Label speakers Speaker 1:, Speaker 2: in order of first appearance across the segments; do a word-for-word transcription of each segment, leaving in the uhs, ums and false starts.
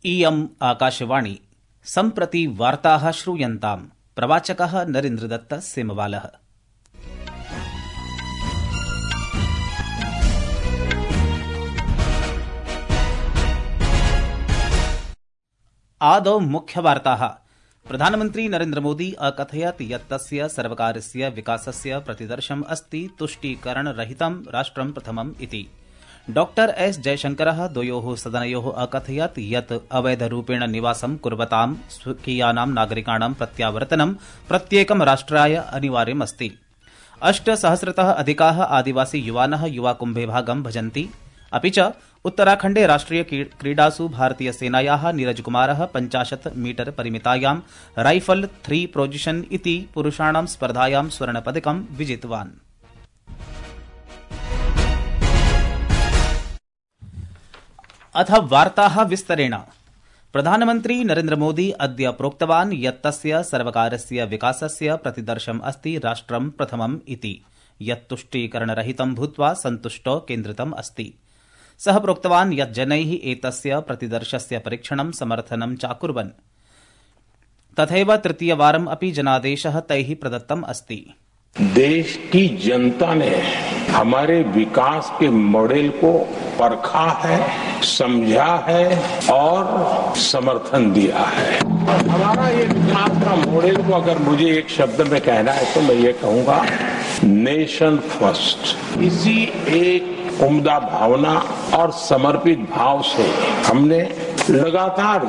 Speaker 1: इयम् आकाशवाणी सम्प्रति वार्ताः श्रूयन्ताम्। प्रवाचकः नरेन्द्रदत्त सेमवालः। आदौ मुख्यवार्ताः। प्रधानमन्त्री नरेन्द्र मोदी अकथयत् यत् तस्य सर्वकारस्य विकासस्य प्रतिदर्शम् अस्ति तुष्टीकरणरहितं राष्ट्रं प्रथमम् इति। डॉक्टर एस जयशंकरः द्वयोः सदनयोः अकथयत् यत् अवैधरूपेण निवासं कुर्वतां स्वकीयानां नागरिकाणां प्रत्यावर्तनं प्रत्येकं राष्ट्राय अनिवार्यमस्ति। अष्टसहस्रतः अधिकाः आदिवासी युवानः युवाकुम्भे भागं भजन्ति। अपि च उत्तराखण्डे राष्ट्रिय क्रीडासु भारतीयसेनायाः नीरज कुमारः पञ्चाशत् मीटर परिमितायां राइफल थ्री पोजिशन इति पुरुषाणां स्पर्धायां स्वर्णपदकं विजितवान्। अथ वार्ताः विस्तरेण। प्रधानमन्त्री नरेन्द्र मोदी अद्य प्रोक्तवान् यत् तस्य सर्वकारस्य विकासस्य प्रतिदर्शम् अस्ति राष्ट्रं प्रथमम् इति, यत् तुष्टीकरणरहितं भूत्वा सन्तुष्टो केन्द्रितम् अस्ति। सः प्रोक्तवान् यत् जनैः एतस्य प्रतिदर्शस्य परीक्षणं समर्थनं चाकुर्वन्। तथैव तृतीयवारम् अपि जनादेशः तैः प्रदत्तम् अस्ति।
Speaker 2: देश की जनता ने हमारे विकास के मॉडल को परखा है, समझा है और समर्थन दिया है। हमारा ये विकास का मॉडल को अगर मुझे एक शब्द में कहना है तो मैं ये कहूंगा, नेशन फर्स्ट। इसी एक उम्दा भावना और समर्पित भाव से हमने लगातार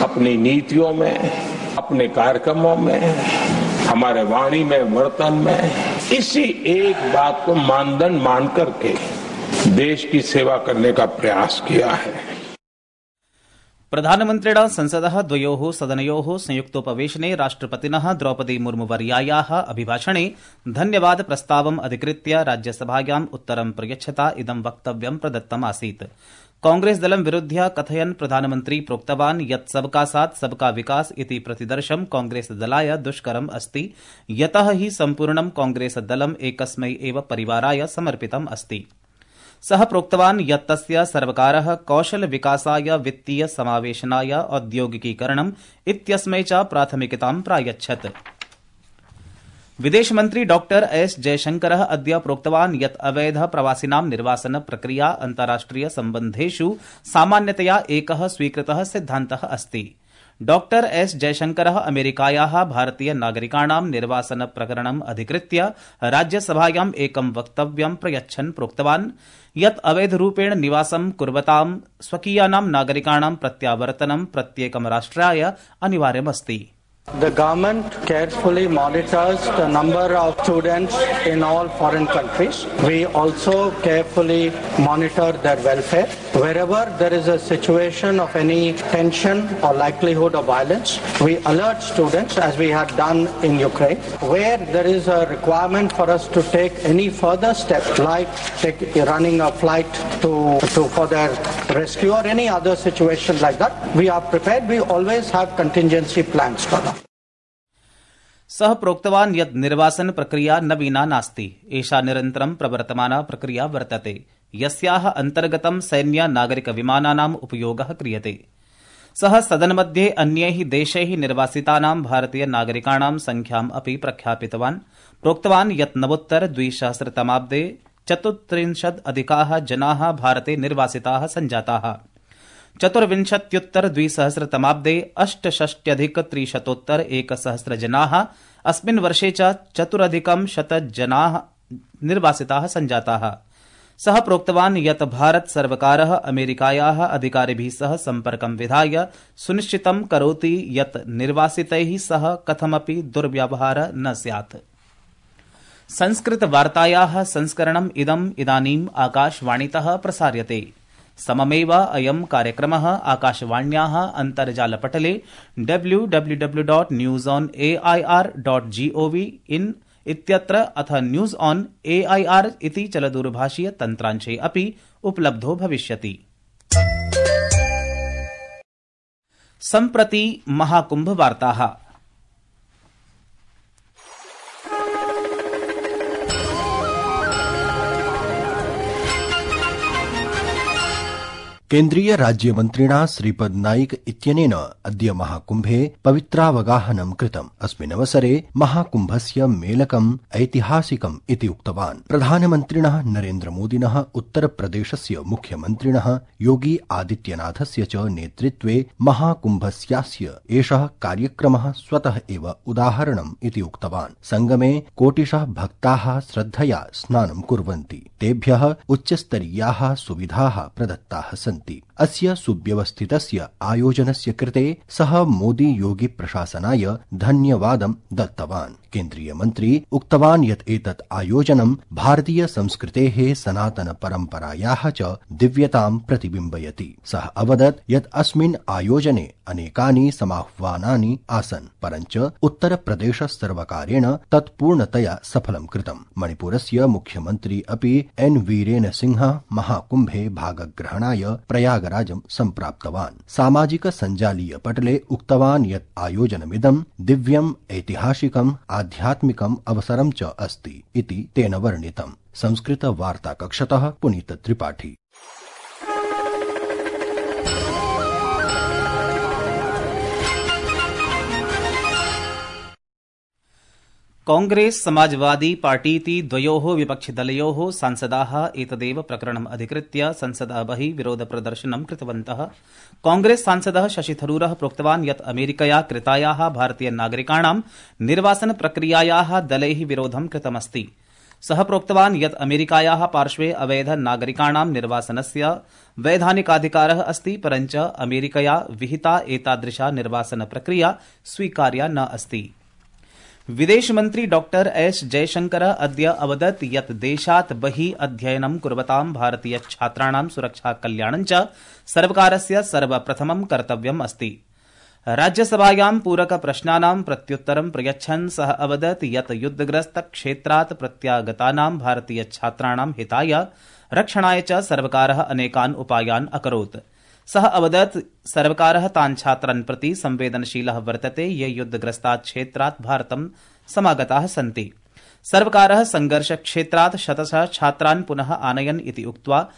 Speaker 2: अपनी नीतियों में, अपने कार्यक्रमों में, हमारे वाणी में, वर्तन में इसी एक बात को मानदंड मान करके देश की सेवा करने का प्रयास किया है।
Speaker 1: प्रधानमन्त्रिणा संसदः द्वयोः सदनयोः संयुक्तोपवेशने राष्ट्रपतिनः द्रौपदी मुर्मुवर्यायाः अभिभाषणे धन्यवाद प्रस्तावम् अधिकृत्य राज्यसभायाम् उत्तरं प्रयच्छता इदं वक्तव्यं प्रदत्तम् आसीत्। कांग्रेस दलं विरुध्य कथयन् प्रधानमन्त्री प्रोक्तवान् यत् सबका साथ सबका विकास इति प्रतिदर्शं कांग्रेस दलाय दुष्करम् अस्ति, यतः हि सम्पूर्णं कांग्रेस दलम् एकस्मै एव परिवाराय समर्पितम् अस्ति। सः प्रोक्तवान् यत् तस्य सर्वकारः कौशल विकासाय, वित्तीय समावेशनाय, औद्योगिकीकरणम् इत्यस्मै च प्राथमिकतां प्रायच्छत्। विदेशमन्त्री डॉक्टर एस जयशंकरः अद्य प्रोक्तवान् यत् अवैध प्रवासिनां निर्वासन प्रक्रिया अन्ताराष्ट्रिय सम्बन्धेषु सामान्यतया एकः स्वीकृतः सिद्धान्तः अस्ति। डॉक्टर एस जयशंकरः अमेरिकायाः भारतीय नागरिकाणां निर्वासन प्रकरणम् अधिकृत्य राज्यसभायाम् एकं वक्तव्यं प्रयच्छन् प्रोक्तवान् यत् अवैधरूपेण निवासं कुर्वतां स्वकीयानां नागरिकाणां प्रत्यावर्तनं प्रत्येकं राष्ट्राय अनिवार्यमस्ति।
Speaker 3: The government carefully monitors the number of students in all foreign countries. We also carefully monitor their welfare. Wherever there is a situation of any tension or likelihood of violence, we alert students, as we had done in Ukraine. Where there is a requirement for us to take any further step, like take, running a flight to, to for their rescue or any other situation like that, we are prepared. We always have contingency plans for that.
Speaker 1: सः प्रोक्तवान् यत् निर्वासन प्रक्रिया नवीना नास्ति, एषा निरन्तरं प्रवर्तमाना प्रक्रिया वर्तते, यस्याः अन्तर्गतं सैन्य नागरिक विमानानाम् उपयोगः क्रियते। सः सदनमध्ये अन्यैः देशैः निर्वासितानां भारतीय नागरिकाणां संख्याम् अपि प्रख्यापितवान्। प्रोक्तवान् यत् नवोत्तर द्विसहस्रतमाब्दे चतुस्त्रिंशत् अधिकाः जनाः भारते निर्वासिताः सञ्जाताः। चतुर्विंशत्युत्तर द्विसहस्रतमाब्दे अष्टषष्ट्यधिक त्रिशतोत्तर एकसहस्र जनाः, अस्मिन् वर्षे च चतुरधिकं शत जनाः निर्वासिताः सञ्जाताः। सः प्रोक्तवान् यत् भारत सर्वकारः अमेरिकायाः अधिकारिभिः सह सम्पर्कं विधाय सुनिश्चितं करोति यत् निर्वासितैः सह कथमपि दुर्व्यवहारः न स्यात्। संस्कृतवार्तायाः संस्करणम् इदम् इदानीम् आकाशवाणीतः प्रसार्यते। सममेव अयं कार्यक्रमः आकाशवाण्याः अन्तर्जालपटले W W W dot news on A I R dot gov in इत्यत्र अथ news on A I R इति चलदूरभाषीय तन्त्रांशे अपि उपलब्धो भविष्यति। सम्प्रति महाकुंभ वार्ताः।
Speaker 4: केन्द्रीय राज्यमन्त्रिणा श्रीपद नाइक इत्यनेन अद्य महाकुम्भे पवित्रावगाहनं कृतम्। अस्मिन् अवसरे महाकुम्भस्य मेलकम् ऐतिहासिकम् इति उक्तवान्। प्रधानमन्त्रिणः नरेन्द्रमोदिनः उत्तरप्रदेशस्य मुख्यमन्त्रिणः योगी आदित्यनाथस्य च नेतृत्वे महाकुम्भस्यास्य एषः कार्यक्रमः स्वतः एव उदाहरणम् इति उक्तवान्। संगमे कोटिशः भक्ताः श्रद्धया स्नानं कुर्वन्ति। तेभ्यः उच्चस्तरीयाः सुविधाः प्रदत्ताः सन्ति। अस्य सुव्यवस्थितस्य आयोजनस्य कृते सः मोदी योगी प्रशासनाय धन्यवादं दत्तवान्। केन्द्रीय मन्त्री उक्तवान् यत् एतत् आयोजनं भारतीय संस्कृतेः सनातन परम्परायाः च दिव्यतां प्रतिबिम्बयति। सः अवदत् यत् अस्मिन् आयोजने अनेकानि समाह्वानानि आसन्, परञ्च उत्तरप्रदेश सर्वकारेण तत् पूर्णतया सफलं कृतम्। मणिपुरस्य मुख्यमन्त्री अपि एन वीरेन सिंहः महाकुम्भे भागग्रहणाय प्रयागराजं सम्प्राप्तवान्। सामाजिक सञ्जालीय पटले उक्तवान् यत् आयोजनमिदं दिव्यम् ऐतिहासिकम् आध्यात्मिकम् अवसरं च अस्ति इति तेन वर्णितम्। संस्कृत वार्ता कक्षतः पुनीत त्रिपाठी।
Speaker 1: कांग्रेस समाजवादी पार्टीति द्वयोः विपक्षिदलयोः सांसदाः एतदेव प्रकरणम् अधिकृत्य संसदः बहिः विरोधप्रदर्शनं कृतवन्तः। कांग्रेस सांसदः शशि थरूरः प्रोक्तवान् यत् अमेरिकया कृतायाः भारतीय नागरिकाणां निर्वासन प्रक्रियायाः दलैः विरोधं कृतमस्ति। सः प्रोक्तवान् यत् अमेरिकायाः पार्श्वे अवैध नागरिकाणां निर्वासनस्य वैधानिकाधिकारः अस्ति, परञ्च अमेरिकया विहिता एतादृशा निर्वासन प्रक्रिया स्वीकार्या न अस्ति। विदेशमन्त्री डॉक्टर एस जयशंकर अद्य अवदत् यत् देशात् बहिः अध्ययनं कुर्वतां भारतीय छात्राणां सुरक्षा कल्याणं च सर्वकारस्य सर्वप्रथमं कर्तव्यम् अस्ति। राज्यसभायां पूरक प्रश्नानां प्रत्युत्तरं प्रयच्छन् सः अवदत् यत् युद्धग्रस्त क्षेत्रात् प्रत्यागतानां भारतीय छात्राणां हिताय रक्षणाय च सर्वकारः अनेकान् उपायान् अकरोत्। सः अवदत् सर्वकारः तान् छात्रान् प्रति संवेदनशीलः वर्तते ये युद्धग्रस्तात् क्षेत्रात् भारतं समागताः सन्ति। सर्वकारः संघर्षक्षेत्रात् शतशः छात्रान् पुनः आनयन् इति उक्त्वा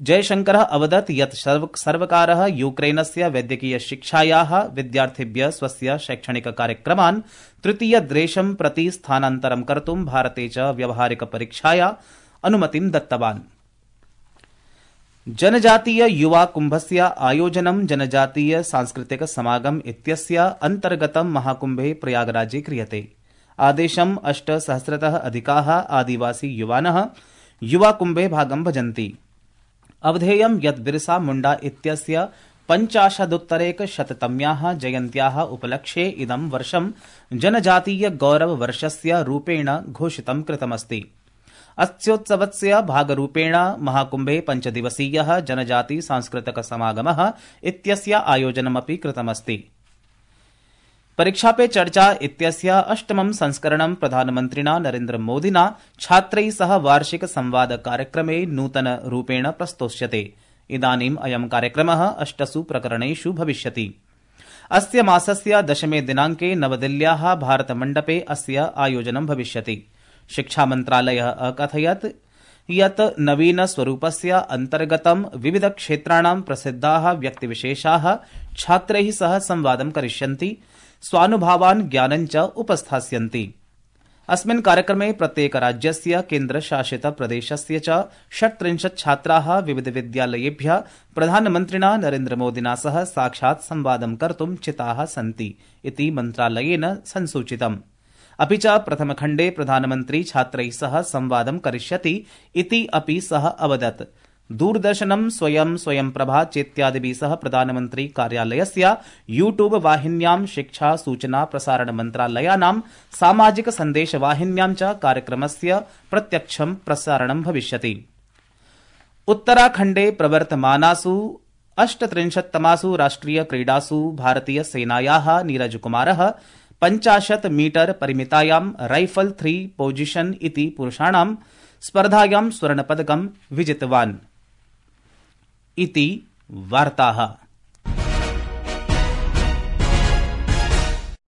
Speaker 1: जयशंकरः अवदत् यत् सर्वकारः यूक्रेनस्य वैद्यकीय शिक्षायाः विद्यार्थिभ्यः स्वस्य शैक्षणिक कार्यक्रमान् तृतीयदेशं प्रति स्थानान्तरं कर्तुं भारते च व्यावहारिक परीक्षाया अनुमतिं दत्तवान्। जनजातीय युवा कुंभस्य आयोजनं जनजातीय सांस्कृतिक समागम इत्यस्य अन्तर्गतं महाकुम्भे प्रयागराजे क्रियते। आदेशम् अष्टसहस्रतः अधिकाः आदिवासी युवानः युवा कुम्भे भागं भजन्ति। अवधेयं यत् बिरसा मुण्डा इत्यस्य पञ्चाशदुत्तरैकशततम्याः जयन्त्याः उपलक्ष्ये इदं वर्षं जनजातीय गौरव वर्षस्य रूपेण घोषितं कृतमस्ति। अस्योत्सवस्य भागरूपेण महाकुम्भे पञ्चदिवसीयः जनजाति सांस्कृतिक समागमः इत्यस्य आयोजनमपि कृतमस्ति। परीक्षा पे चर्चा इत्यस्य अष्टमं संस्करणं प्रधानमन्त्रिणा नरेन्द्र मोदिना छात्रैः सह वार्षिक संवाद कार्यक्रमे नूतन रूपेण प्रस्तोष्यते। इदानीम् अयं कार्यक्रमः अष्टसु प्रकरणेषु भविष्यति। अस्य मासस्य दशमे दिनाङ्के नवदिल्ल्याः भारतमण्डपे अस्य आयोजनं भविष्यति। शिक्षा मन्त्रालयः अकथयत् यत् नवीन स्वरूपस्य अन्तर्गतं विविध क्षेत्राणां प्रसिद्धाः व्यक्तिविशेषाः छात्रैः सह संवादं करिष्यन्ति, स्वानुभावान् ज्ञानं च उपस्थास्यन्ति। अस्मिन् कार्यक्रमे प्रत्येक राज्यस्य केन्द्रशासित प्रदेशस्य च षट्त्रिंशत् छात्राः विविध विद्यालयेभ्यः प्रधानमन्त्रिणा नरेन्द्रमोदिना सह साक्षात् संवादं कर्तुं चिताः सन्ति इति मन्त्रालयेन संसूचितम्। अपि च प्रथमखण्डे प्रधानमन्त्री छात्रैः सह संवादं करिष्यति इति अपि सः अवदत्। दूरदर्शनं स्वयं स्वयंप्रभा चेत्यादिभिः सह प्रधानमन्त्री कार्यालयस्य यूट्यूब वाहिन्यां शिक्षा सूचना प्रसारण मन्त्रालयानां सामाजिक सन्देश वाहिन्यां च कार्यक्रमस्य प्रत्यक्षं प्रसारणं भविष्यति। उत्तराखण्डे प्रवर्तमानासु अष्टत्रिंशत्तमासु राष्ट्रिय क्रीडासु भारतीय सेनायाः नीरज कुमारः पञ्चाशत् मीटर परिमितायां राइफल थ्री पोजिशन इति पुरुषाणां स्पर्धायां स्वर्णपदकं विजितवान् इति वार्ताः।